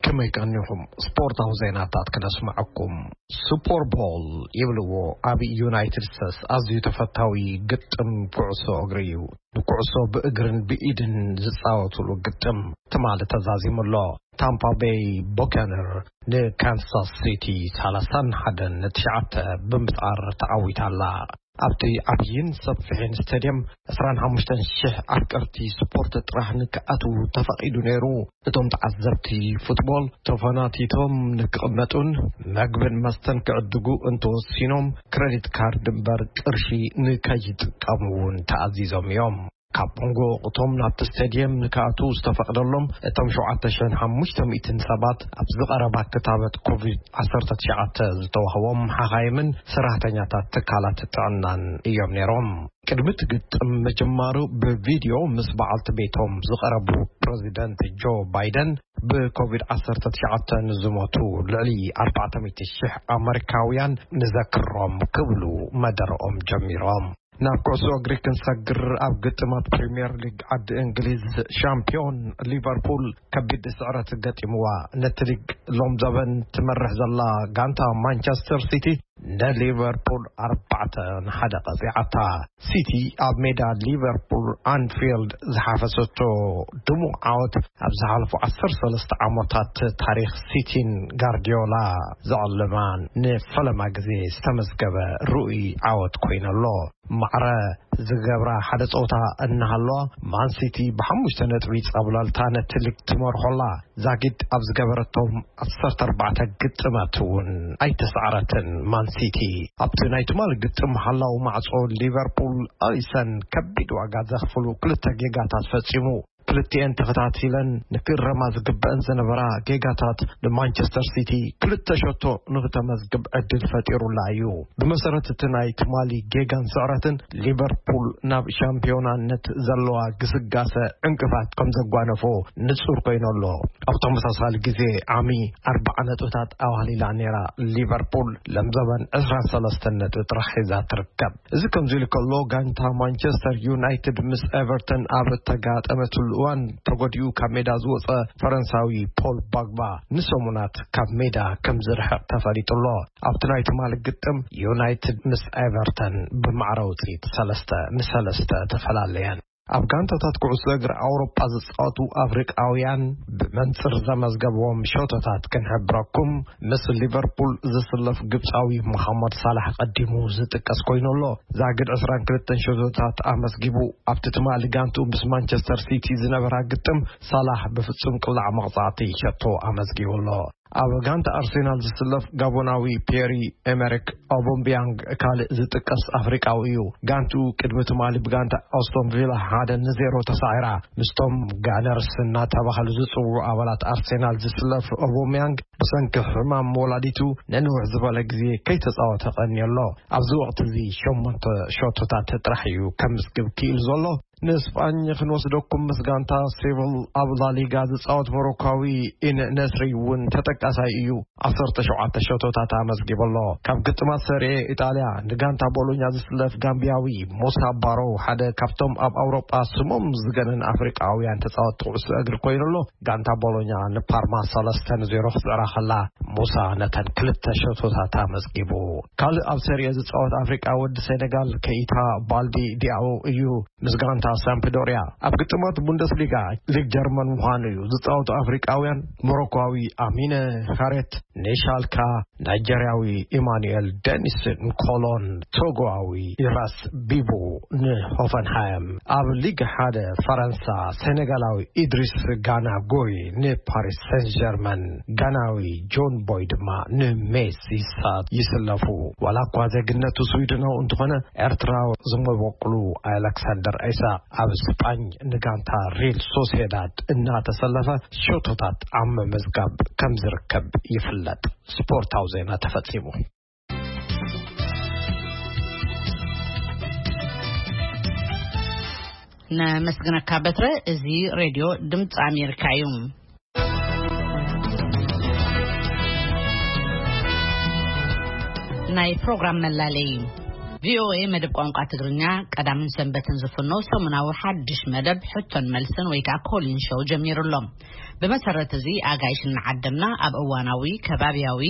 ከመይ ቀኒኹም? ስፖርታዊ ዜናታት ክነስምዐኩም። ሱፐር ቦል ይብልዎ ኣብ ዩናይትድ ስቴትስ ኣዝዩ ተፈታዊ ግጥም ኩዕሶ እግሪ እዩ። ንኩዕሶ ብእግርን ብኢድን ዝጻወቱሉ ግጥም ትማሊ ተዛዚሙ ኣሎ። ታምፓ ቤይ ቦካነር ንካንሳስ ሲቲ ሰላሳን ሓደን ንትሽዓተ ብምስዓር ተዓዊታ ኣላ። ኣብቲ ዓብይን ሰፊሕን ስቴድየም ዕስራን ሓሙሽተን ሽሕ ኣፍቀርቲ ስፖርት ጥራሕ ንክኣትዉ ተፈቒዱ ነይሩ። እቶም ተዓዘብቲ ፉትቦል ተፈናቲቶም ንክቕመጡን መግብን መስተን ክዕድጉ እንተወሲኖም ክረዲት ካርድ እምበር ቅርሺ ንከይጥቀሙ እውን ተኣዚዞም እዮም። ካብ መንጎ እቶም ናብቲ ስቴድየም ንክኣትዉ ዝተፈቕደሎም እቶም ሸውዓተ ሽሕን ሓሙሽተ ሚእትን ሰባት ኣብዚ ቀረባ ክታበት ኮቪድ ዓሰርተ ትሽዓተ ዝተዋህቦም ሓኻይምን ሰራሕተኛታት ትካላት ጥዕናን እዮም ነይሮም። ቅድሚ እቲ ግጥም ምጅማሩ ብቪድዮ ምስ በዓልቲ ቤቶም ዝቐረቡ ፕረዚደንት ጆ ባይደን ብኮቪድ ዓሰርተ ትሽዓተ ንዝሞቱ ልዕሊ ኣርባዕተ ሚእቲ ሽሕ ኣመሪካውያን ንዘክሮም ክብሉ መደረኦም ጀሚሮም። ናብ ኩዕሶ እግሪ ክንሰግር ኣብ ግጥማት ፕሪምየር ሊግ ዓዲ እንግሊዝ ሻምፒዮን ሊቨርፑል ከቢድ ስዕረት ገጢምዋ። ነቲ ሊግ ሎም ዘበን ትመርሕ ዘላ ጋንታ ማንቸስተር ሲቲ ንሊቨርፑል ኣርባዕተ ንሓደ ቀጺዓታ። ሲቲ ኣብ ሜዳ ሊቨርፑል ኣንፊልድ ዝሓፈሰቶ ድሙቕ ዓወት ኣብ ዝሓለፉ ዓሰርተ ሰለስተ ዓመታት ታሪኽ ሲቲን ጋርዲዮላ ዘዕልማን ንፈለማ ግዜ ዝተመዝገበ ርኡይ ዓወት ኮይነሎ። ማዕረ ዝገብራ ሓደ ጸወታ እናሃለዋ ማንሲቲ ብሓሙሽተ ነጥቢ ጸብለልታ ነቲ ሊግ ትመርሖላ። ዛጊድ ኣብ ዝገበረቶም ዓሰርተ ኣርባዕተ ግጥማት እውን ኣይተሳዕረትን። ማንሲቲ ኣብቲ ናይ ትማሊ ግጥም ሓላው ማዕጾ ሊቨርፑል ኣሊሰን ከቢድ ዋጋ ዘኽፍሉ ክልተ ጌጋታት ፈጺሙ። ክልቲኤን ተኸታቲለን ንክእረማ ዝግበአን ዝነበራ ጌጋታት ንማንቸስተር ሲቲ ክልተ ሸቶ ንክተመዝግብ ዕድል ፈጢሩላ እዩ። ብመሰረት እቲ ናይ ትማሊ ጌጋን ስዕረትን ሊቨርፑል ናብ ሻምፒዮናነት ዘለዋ ግስጋሰ ዕንቅፋት ከም ዘጓነፎ ንጹር ኮይኑ ኣሎ። ኣብ ተመሳሳሊ ግዜ ዓሚ ኣርባዓ ነጥብታት ኣዋህሊላ ነይራ። ሊቨርፑል ለምዘበን ዕስራን ሰለስተን ነጥቢ ጥራሕ ሒዛ ትርከብ። እዚ ከምዚ ኢሉ ከሎ፣ ጋንታ ማንቸስተር ዩናይትድ ምስ ኤቨርተን ኣብ እተጋጠመትሉ እዋን ተጎዲኡ ካብ ሜዳ ዝወጸ ፈረንሳዊ ፖል ባግባ ንሰሙናት ካብ ሜዳ ከም ዝርሕቕ ተፈሊጡ ኣሎ። ኣብቲ ናይ ትማሊ ግጥም ዩናይትድ ምስ ኤቨርተን ብማዕረ ውጽኢት ሰለስተ ንሰለስተ ተፈላለየን። ኣብ ጋንታታት ኩዕሶ እግሪ ኣውሮጳ ዝጻወቱ ኣፍሪቃውያን ብመንጽር ዘመዝገብዎም ሸቶታት ክንሕብረኩም፣ ምስ ሊቨርፑል ዝስለፍ ግብጻዊ መሓመድ ሳላሕ ቀዲሙ ዝጥቀስ ኮይኑ ኣሎ። ዛግድ ዕስራን ክልተን ሸቶታት ኣመስጊቡ። ኣብቲ ትማሊ ጋንቱ ምስ ማንቸስተር ሲቲ ዝነበራ ግጥም፣ ሳላሕ ብፍጹም ቅላዕ መቕጻዕቲ ሸቶ ኣመስጊቡ ኣሎ። ኣብ ጋንታ ኣርሴናል ዝስለፍ ጋቦናዊ ፒየሪ ኤመሪክ ኦቦምቢያንግ ካልእ ዝጥቀስ ኣፍሪቃዊ እዩ። ጋንቱ ቅድሚ ትማሊ ብጋንታ ኣስቶን ቪላ ሓደ ንዜሮ ተሳዒራ። ምስቶም ጋነርስ እናተባህሉ ዝጽውዑ ኣባላት ኣርሴናል ዝስለፍ ኦቦምያንግ ብሰንኪ ሕማም ወላዲቱ ንንውሕ ዝበለ ግዜ ከይተጻወተ ቀንዩ ኣሎ። ኣብዚ ወቕቲ እዚ ሸሞንተ ሸቶታት ጥራሕ እዩ ከምዝግብ ክኢሉ ዘሎ። ንስጳኝ ክንወስደኩም፣ ምስ ጋንታ ሴቪል ኣብ ላሊጋ ዝጻወት ሞሮኳዊ ኢን ነስሪ እውን ተጠቃሳይ እዩ። ዓሰርተ ሸውዓተ ሸቶታት ኣመዝጊቡ ኣሎ። ካብ ግጥማት ሰሪኤ ኢጣልያ ንጋንታ ቦሎኛ ዝስለፍ ጋምቢያዊ ሙሳ ባሮ ሓደ ካብቶም ኣብ ኣውሮጳ ስሞም ዝገነን ኣፍሪቃውያን ተጻወትቲ ኩዕሶ እግሪ ኮይኑ ኣሎ። ጋንታ ቦሎኛ ንፓርማ ሰለስተ ንዜሮ ክስዕራ ከላ፣ ሙሳ ነተን ክልተ ሸቶታት ኣመዝጊቡ። ካልእ ኣብ ሰሪኤ ዝጻወት ኣፍሪቃዊ ወዲ ሴኔጋል ከኢታ ባልዲ ዲያኦ እዩ። ምስ ጋንታ ሳምፕዶሪያ ኣብ ግጥማት ቡንደስሊጋ ሊግ ጀርመን ምዃኑ እዩ። ዝጻወቱ ኣፍሪቃውያን ሞሮኳዊ ኣሚነ ኻሬት ንሻልካ፣ ናይጀርያዊ ኢማኑኤል ደኒስ ንኮሎን፣ ቶጎዊ ኢራስ ቢቡ ንሆፈንሃይም። ኣብ ሊግ ሓደ ፈረንሳ ሴኔጋላዊ ኢድሪስ ጋና ጎይ ንፓሪስ ሰን ጀርመን፣ ጋናዊ ጆን ቦይ ድማ ንሜስ ይሳ-፣ ይስለፉ። ዋላ እኳ ዜግነቱ ስዊድናዊ እንተኾነ፣ ኤርትራ ዝመበቁሉ ኣሌክሳንደር ኢሳቅ ኣብ ስጳኝ ንጋንታ ሪል ሶሴዳድ እናተሰለፈ ሸቶታት ኣብ ምምዝጋብ ከም ዝርከብ ይፍለጥ። ስፖርታዊ ዜና ተፈጺሙ። ነመስግነካ በትረ። እዚ ሬድዮ ድምፂ ኣሜሪካ እዩ። ናይ ፕሮግራም መላለይ። ቪኦኤ መደብ ቋንቋ ትግርኛ ቀዳምን ሰንበትን ዝፍኖ ሰሙናዊ ሓድሽ መደብ ሕቶን መልስን ወይ ከዓ ኮሊን ሾው ጀሚሩ ኣሎ። ብመሰረት እዚ ኣጋይሽ እናዓደምና ኣብ እዋናዊ፣ ከባብያዊ፣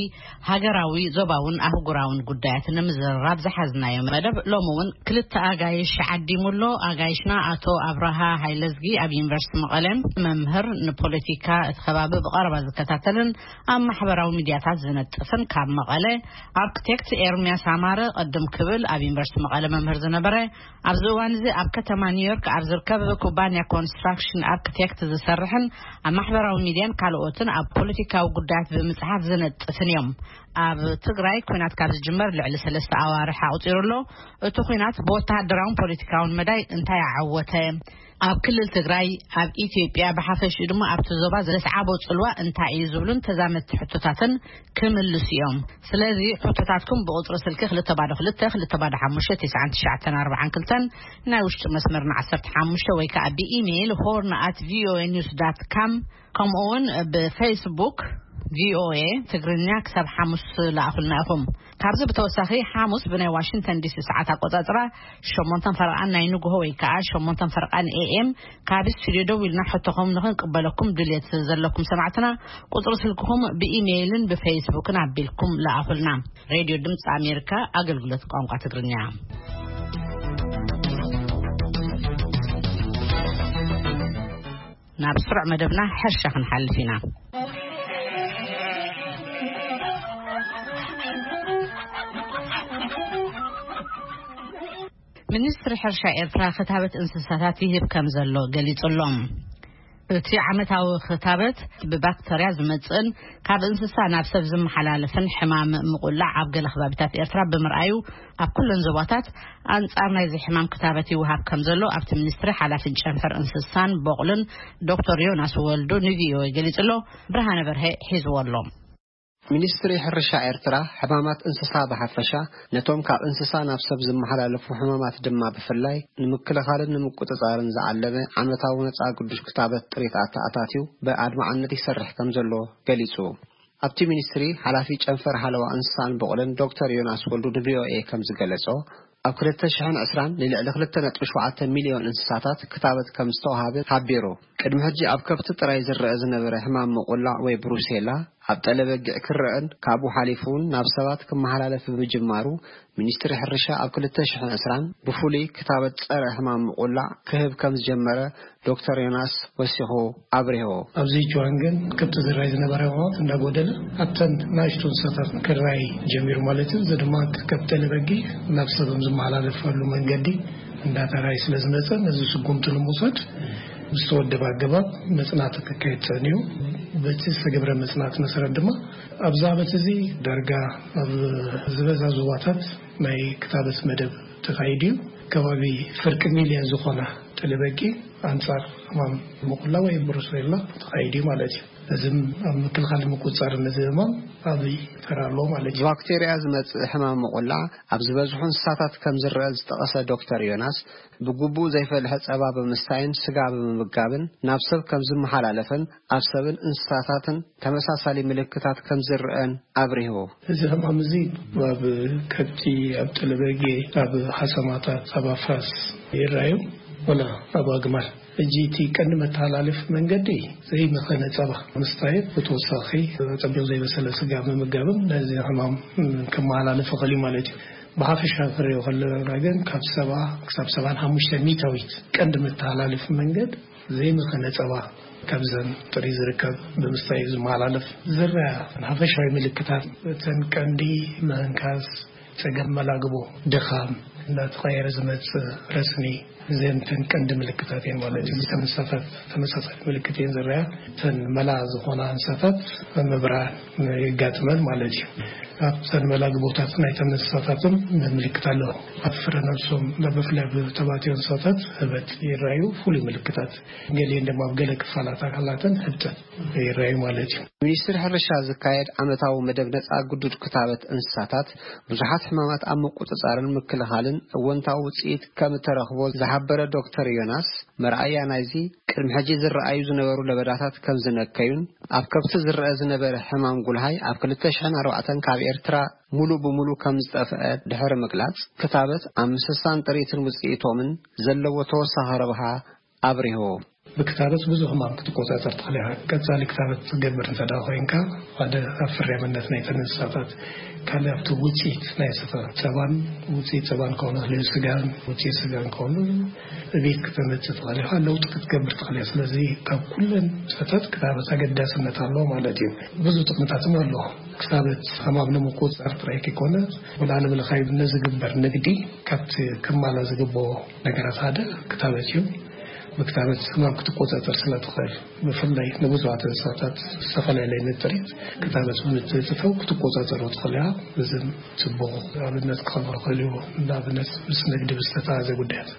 ሃገራዊ፣ ዞባውን ኣህጉራውን ጉዳያት ንምዝርራብ ዝሓዝናዮ መደብ ሎሚ እውን ክልተ ኣጋይሽ ዓዲሙ ኣሎ። ኣጋይሽና ኣቶ ኣብርሃ ሃይለዝጊ ኣብ ዩኒቨርሲቲ መቐለ መምህር፣ ንፖለቲካ እቲ ከባቢ ብቐረባ ዝከታተልን ኣብ ማሕበራዊ ሚድያታት ዝነጥፍን፣ ካብ መቐለ ኣርክቴክት ኤርሚያስ ኣማረ፣ ቅድም ክብል ኣብ ዩኒቨርሲቲ መቐለ መምህር ዝነበረ፣ ኣብዚ እዋን እዚ ኣብ ከተማ ኒውዮርክ ኣብ ዝርከብ ኩባንያ ኮንስትራክሽን ኣርክቴክት ዝሰርሕን ኣብ ማሕበራዊ ሚድያን ካልኦትን ኣብ ፖለቲካዊ ጉዳያት ብምጽሓፍ ዝነጥፍን እዮም። ኣብ ትግራይ ኲናት ካብ ዝጅመር ልዕሊ ሰለስተ ኣዋርሕ ኣቑጺሩ ኣሎ። እቲ ኲናት ብወተሃደራውን ፖለቲካውን መዳይ እንታይ ኣዓወተ? ኣብ ክልል ትግራይ፣ ኣብ ኢትዮጵያ ብሓፈሽኡ ድማ ኣብቲ ዞባ ዘስዓቦ ጽልዋ እንታይ እዩ ዝብሉን ተዛመድቲ ሕቶታትን ክምልሱ እዮም። ስለዚ ሕቶታትኩም ብቁጽሪ ስልኪ ክልተ ባዶ ክልተ፣ ክልተ ባዶ ሓሙሽተ፣ ትሽዓን ትሽዓተን ኣርባዓን ክልተን፣ ናይ ውሽጢ መስመርና ዓሰርተ ሓሙሽተ ወይ ከዓ ብኢሜይል ሆርን ኣት ቪኦኤ ኒውስ ዳት ካም፣ ከምኡ እውን ብፌስቡክ ቪኦኤ ትግርኛ ክሳብ ሓሙስ ለኣኹልና ኢኹም። ካብዚ ብተወሳኺ ሓሙስ ብናይ ዋሽንግተን ዲሲ ሰዓት ኣቆጻጽራ ሸሞንተን ፈረቓን ናይ ንግሆ ወይ ከዓ ሸሞንተን ፈረቓን ኤ ኤም ካብ ስቱዲዮ ደው ኢልና ሕቶኹም ንኽንቅበለኩም ድልየት ዘለኩም ሰማዕትና ቁጽሪ ስልክኹም ብኢሜይልን ብፌስቡክን ኣቢልኩም ለኣኹልና። ሬድዮ ድምፂ ኣሜሪካ ኣገልግሎት ቋንቋ ትግርኛ። ናብ ስሩዕ መደብና ሕርሻ ክንሓልፍ ኢና። ሚኒስትሪ ሕርሻ ኤርትራ ክታበት እንስሳታት ይህብ ከም ዘሎ ገሊጹ ኣሎ። እቲ ዓመታዊ ክታበት ብባክተርያ ዝመጽእን ካብ እንስሳ ናብ ሰብ ዝመሓላለፍን ሕማም ምቁላዕ ኣብ ገለ ከባቢታት ኤርትራ ብምርኣዩ፣ ኣብ ኩለን ዞባታት ኣንጻር ናይዚ ሕማም ክታበት ይወሃብ ከም ዘሎ ኣብቲ ሚኒስትሪ ሓላፊን ጨንፈር እንስሳን በቑልን ዶክተር ዮናስ ወልዱ ንቪኦኤ ገሊጹ ኣሎ። ብርሃነ በርሀ ሒዝዎ ኣሎ። ሚኒስትሪ ሕርሻ ኤርትራ፣ ሕማማት እንስሳ ብሓፈሻ፣ ነቶም ካብ እንስሳ ናብ ሰብ ዝመሓላለፉ ሕማማት ድማ ብፍላይ፣ ንምክልኻልን ንምቁጽጻርን ዝዓለመ ዓመታዊ ነጻ ግዱሽ ክታበት ጥሪት ኣተኣታትዩ ብኣድማዕነት ይሰርሕ ከም ዘሎ ገሊጹ። ኣብቲ ሚኒስትሪ፣ ሓላፊ ጨንፈር ሓለዋ እንስሳን በቑልን ዶክተር ዮናስ ወልዱ ንቪኦኤ ከም ዝገለጾ፣ ኣብ ክልተ ሽሕን ዕስራን ንልዕሊ ክልተ ነጥቢ ሸውዓተ ሚልዮን እንስሳታት ክታበት ከም ዝተወሃበ ሓቢሩ። ቅድሚ ሕጂ ኣብ ከብቲ ጥራይ ዝረአ ዝነበረ ሕማም ምቑላዕ ወይ ብሩሴላ ኣብ ጠለበጊዕ ክረአን ካብኡ ሓሊፉ እውን ናብ ሰባት ክመሓላለፍ ብምጅማሩ፣ ሚኒስትሪ ሕርሻ ኣብ ክልተ ሽሕን ዕስራን ብፍሉይ ክታበት ጸረ ሕማም ምቑላዕ ክህብ ከም ዝጀመረ ዶክተር ዮናስ ወሲኹ ኣብሪሁ። ኣብዚ ቹዋንግን ከብቲ ዝረኣይ ዝነበረ ሕማማት እንዳጎደለ፣ ኣብተን ናእሽቱ እንስሳታት ክረኣይ ጀሚሩ ማለት እዩ። እዚ ድማ ካብ ጠለበጊዕ ናብ ሰብ ዝመሓላለፈሉ መንገዲ እንዳተራይ ስለ ዝመጸ፣ ነዚ ስጉምቲ ንምውሳድ ብዝተወደበ ኣገባብ መጽናዕቲ ክካየድ ጸኒሑ። በቲ ዝተገብረ መጽናዕቲ መሰረት ድማ፣ ኣብዚ ዓመት እዚ ዳርጋ ኣብ ዝበዛ ዞባታት ናይ ክታበት መደብ ተኻይዱ እዩ። ከባቢ ፍርቂ ሚልዮን ዝኾና ጠለበጊዕ ኣንጻር ሕማም ምቁላ ወይ ብሩሴላ ተኻይዱ እዩ ማለት እዩ። እዚም ኣብ ምክልኻል ምቁጽጻር ነዚ ሕማም ዓቢ ተራ ኣለዎ ማለት እዩ። ብባክቴርያ ዝመጽእ ሕማም ምቁላዕ ኣብ ዝበዝሑ እንስሳታት ከም ዝረአ ዝጠቐሰ ዶክተር ዮናስ፣ ብግቡእ ዘይፈልሐ ጸባ ብምስታይን ስጋ ብምምጋብን ናብ ሰብ ከም ዝመሓላለፍን ኣብ ሰብን እንስሳታትን ተመሳሳሊ ምልክታት ከም ዝረአን ኣብሪሁ። እዚ ሕማም እዚ ኣብ ከብቲ፣ ኣብ ጠለበጊዕ፣ ኣብ ሓሰማታት፣ ኣብ ኣፍራስ ይረኣዩ፣ ወላ ኣብ ኣግማል። ሕጂ እቲ ቀንዲ መተሓላለፊ መንገዲ ዘይመኸነ ጸባ ምስታይ፣ ብተወሳኺ ጸቢቑ ዘይበሰለ ስጋ ምምጋብን ነዚ ሕማም ከመሓላልፍ ይኽእል እዩ ማለት እዩ። ብሓፈሻ ክንሪኦ ከለና ግን ካብ ሰብዓ ክሳብ ሰብዓን ሓሙሽተ ሚእታዊት ቀንዲ መተሓላለፊ መንገድ ዘይመኸነ ጸባ ካብዘን ጥሪት ዝርከብ ብምስታይ እዩ ዝመሓላለፍ። ዝረኣ ሓፈሻዊ ምልክታት እተን ቀንዲ ምህንካስ፣ ጸገም መላግቦ፣ ድኻም፣ እናተቐየረ ዝመጽእ ረስኒ፣ እዘን እተን ቀንዲ ምልክታት እየን ማለት እዩ። እተን እንስሳታት ተመሳሳሊ ምልክት እየን ዝረኣያ። እተን መላ ዝኾና እንስሳታት ምብራር የጋጥመን ማለት እዩ። ኣብተን መላግቦታት ናይተን እንስሳታትን ምልክት ኣለዎ። ኣብ ፍረ ነብሶም፣ ብፍላይ ኣብ ተባዕትዮ እንስሳታት ህበት ይረኣዩ፣ ፍሉይ ምልክታት። ገሊአን ድማ ኣብ ገለ ክፋላት ኣካላተን ህብጠት ይረኣዩ ማለት እዩ። ሚኒስትሪ ሕርሻ ዝካየድ ዓመታዊ መደብ ነጻ ግዱድ ክታበት እንስሳታት፣ ብዙሓት ሕማማት ኣብ ምቁጽጻርን ምክልኻልን እወንታዊ ውጽኢት ከም እተረኽቦ ዝሓበረ ዶክተር ዮናስ፣ መርኣያ ናይዚ፣ ቅድሚ ሕጂ ዝረኣዩ ዝነበሩ ለበዳታት ከም ዝነከዩን፣ ኣብ ከብቲ ዝረአ ዝነበረ ሕማም ጉልሃይ ኣብ ክልተ ሽሕን ኣርባዕተን ካብ ኤርትራ ሙሉእ ብሙሉእ ከም ዝጠፍአ ድሕሪ ምግላጽ፣ ክታበት ኣብ ምስሳን ጥሪትን ውጽኢቶምን ዘለዎ ተወሳኺ ረብሓ ኣብሪሁ። ብክታበት ብዙሕ ሕማም ክትቆጻጸር ትኽእል ኢኻ። ቀጻሊ ክታበት ትገብር እንተ ደኣ ኮይንካ፣ ሓደ ኣብ ፍርያምነት ናይተን እንስሳታት፣ ካልእ ኣብቲ ውጽኢት ናይ እንስሳታት ጸባን፣ ውጽኢት ጸባን ክኸውን ይኽእል እዩ፣ ስጋን፣ ውጽኢት ስጋን ክኸውን፣ ዕቤት ክተመጽእ ትኽእል ኢኻ፣ ለውጢ ክትገብር ትኽእል ኢኻ። ስለዚ ካብ ኩለን እንስሳታት ክታበት ኣገዳስነት ኣለዎ ማለት እዩ። ብዙሕ ጥቕምታት እውን ኣለዎ። ክታበት ሕማም ንምቁጽጻር ጥራይ ከይኮነ፣ ወላ ንብልኻይ ነዝግበር ንግዲ ካብቲ ክማላ ዝግብኦ ነገራት ሓደ ክታበት እዩ። ብክታበት ሕማም ክትቆጻጸር ስለ ትኽእል፣ ብፍላይ ንብዙሓት እንስሳታት ዝተፈላለየ ንጥሪት ክታበት ብምትእትታው ክትቆጻጸሮ ትኽእል እያ። እዚ ጽቡቕ ኣብነት ክኸውን ይኽእል እዩ። ንኣብነት ምስ ንግዲ ብዝተተሓዘ ጉዳያት።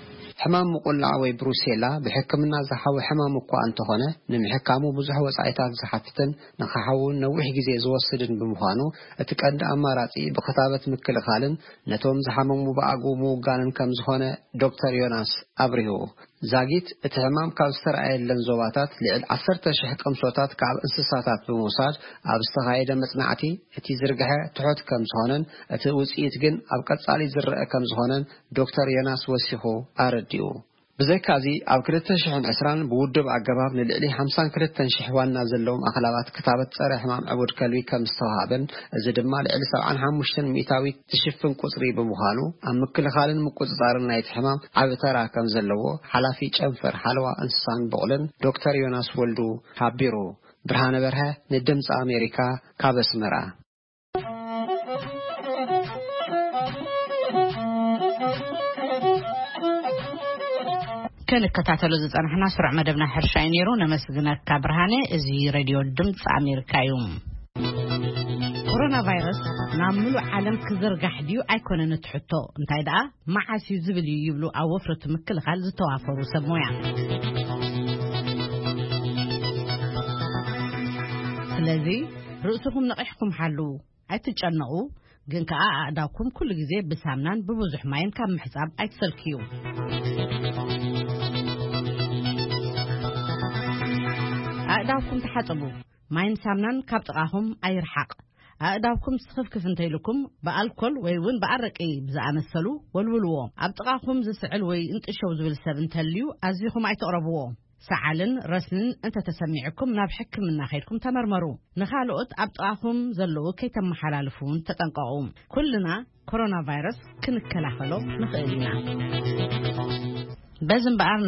ሕማም ምቁላዕ ወይ ብሩሴላ ብሕክምና ዝሓዊ ሕማም እኳ እንተኾነ፣ ንምሕካሙ ብዙሕ ወጻኢታት ዝሓትትን ንኽሓዊ እውን ነዊሕ ግዜ ዝወስድን ብምዃኑ፣ እቲ ቀንዲ ኣማራጺ ብክታበት ምክልኻልን ነቶም ዝሓመሙ ብኣግኡ ምውጋንን ከም ዝኾነ ዶክተር ዮናስ ኣብሪሁ። ዛጊት እቲ ሕማም ካብ ዝተረኣየለን ዞባታት ልዕሊ ዓሰርተ ሽሕ ቅምሶታት ካብ እንስሳታት ብምውሳድ ኣብ ዝተኻየደ መጽናዕቲ፣ እቲ ዝርግሐ ትሑት ከም ዝኾነን እቲ ውጽኢት ግን ኣብ ቀጻሊ ዝረአ ከም ዝኾነን ዶክተር ዮናስ ወሲኹ ኣረዲኡ። ብዘይካዚ፣ ኣብ ክልተ ሽሕን ዕስራን ብውዱብ ኣገባብ ንልዕሊ ሓምሳን ክልተን ሽሕ ዋና ዘለዎም ኣኽላባት ክታበት ጸረ ሕማም ዕቡድ ከልቢ ከም ዝተዋህበን፣ እዚ ድማ ልዕሊ ሰብዓን ሓሙሽተን ሚእታዊት ዝሽፍን ቁጽሪ ብምዃኑ፣ ኣብ ምክልኻልን ምቁጽጻርን ናይቲ ሕማም ዓቢ ተራ ከም ዘለዎ ሓላፊ ጨንፈር ሓለዋ እንስሳን ብቑልን ዶክተር ዮናስ ወልዱ ሓቢሩ። ብርሃነ በርሀ ንድምጺ ኣሜሪካ ካብ ኣስመራ። ከንከታተሎ ዝጸናሕና ስሩዕ መደብና ሕርሻ እዩ ነይሩ። ነመስግነካ ብርሃነ። እዚ ሬድዮ ድምፂ ኣሜሪካ እዩ። ኮሮና ቫይረስ ናብ ምሉእ ዓለም ክዝርጋሕ ድዩ ኣይኮነን እቲ ሕቶ፣ እንታይ ደኣ መዓስ እዩ ዝብል እዩ ይብሉ ኣብ ወፍሪ ምክልኻል ዝተዋፈሩ ሰብ ሞያ። ስለዚ ርእስኹም ነቒሕኩም ሓልዉ። ኣይትጨነቑ፣ ግን ከኣ ኣእዳውኩም ኩሉ ግዜ ብሳምናን ብብዙሕ ማይን ካብ ምሕጻብ ኣይትሰልክዩ። ኣእዳውኩም ተሓጸቡ። ማይን ሳምናን ካብ ጥቓኹም ኣይርሓቕ። ኣእዳውኩም ስኽፍክፍ እንተኢሉኩም ብኣልኮል ወይ እውን ብኣረቂ ብዝኣመሰሉ ወልውልዎ። ኣብ ጥቓኹም ዝስዕል ወይ እንጥሸው ዝብል ሰብ እንተልዩ ኣዚኹም ኣይትቕረብዎ። ሰዓልን ረስንን እንተተሰሚዕኩም ናብ ሕክምና ከይድኩም ተመርመሩ። ንኻልኦት ኣብ ጥቓኹም ዘለዉ ከይተመሓላልፉ እውን ተጠንቀቑ። ኩልና ኮሮና ቫይረስ ክንከላኸሎ ንኽእል ኢና። በዚ እምበኣር